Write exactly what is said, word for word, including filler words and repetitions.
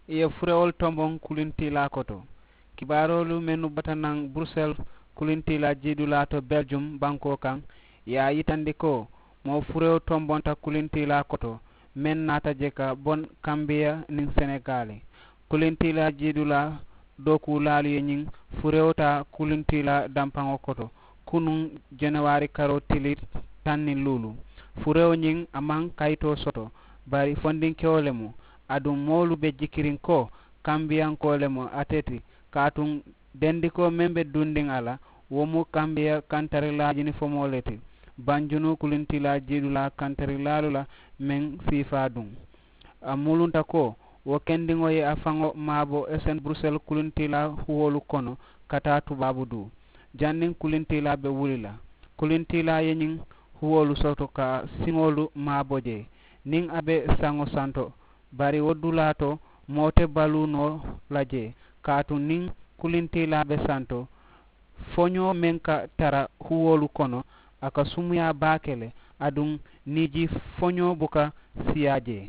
I ye furewolu tomboŋ kulintiilaa koto. Kibaaroolu mennu bota naŋ burusel kulintiilaa jiidulaa to beljum bankoo kaŋ, i ye a yitandi ko moo furewo tombonta kulintiilaa koto meŋ naata je ka boŋ kambiya niŋ senegaali. Kulintiilaa jiidulaa dookuulaalu ye ñiŋ furewo taa kulintiilaa dampaŋo koto kunuŋ, jenewaari karoo tili taŋ niŋ luulu. Furewo ñiŋ a maŋ kayitoo soto, bari fondinkewo le mu. Aduŋ moolu be jikiriŋ ko kambiyankoo le mu ate ti, kaatuŋ dendikoo meŋ be dundiŋ a la, wo mu kambiya kantarilaa jinifomoo le ti. Banjunu kulintiilaa jiidulaa kantarilaalu la meŋ siifaa duŋ. A mulunta ko wo kendiŋo ye a faŋo maabo esen burusel kulintiilaa huwoolu kono ka taa tubaabu duu. Janniŋ kulintiilaa be wuli la, kulintiilaa ye ñiŋ huwoolu soto ka siŋolu maabo jee niŋ a be saŋo santo. Bari wo dulaa to, moo te baluu noo la jee. Kaatu niŋ kulintiilaa be santo, foñoo meŋ ka tara huwoolu kono, a ka sumuyaa baake le. Aduŋ niiji foñoo buka siyaa jee.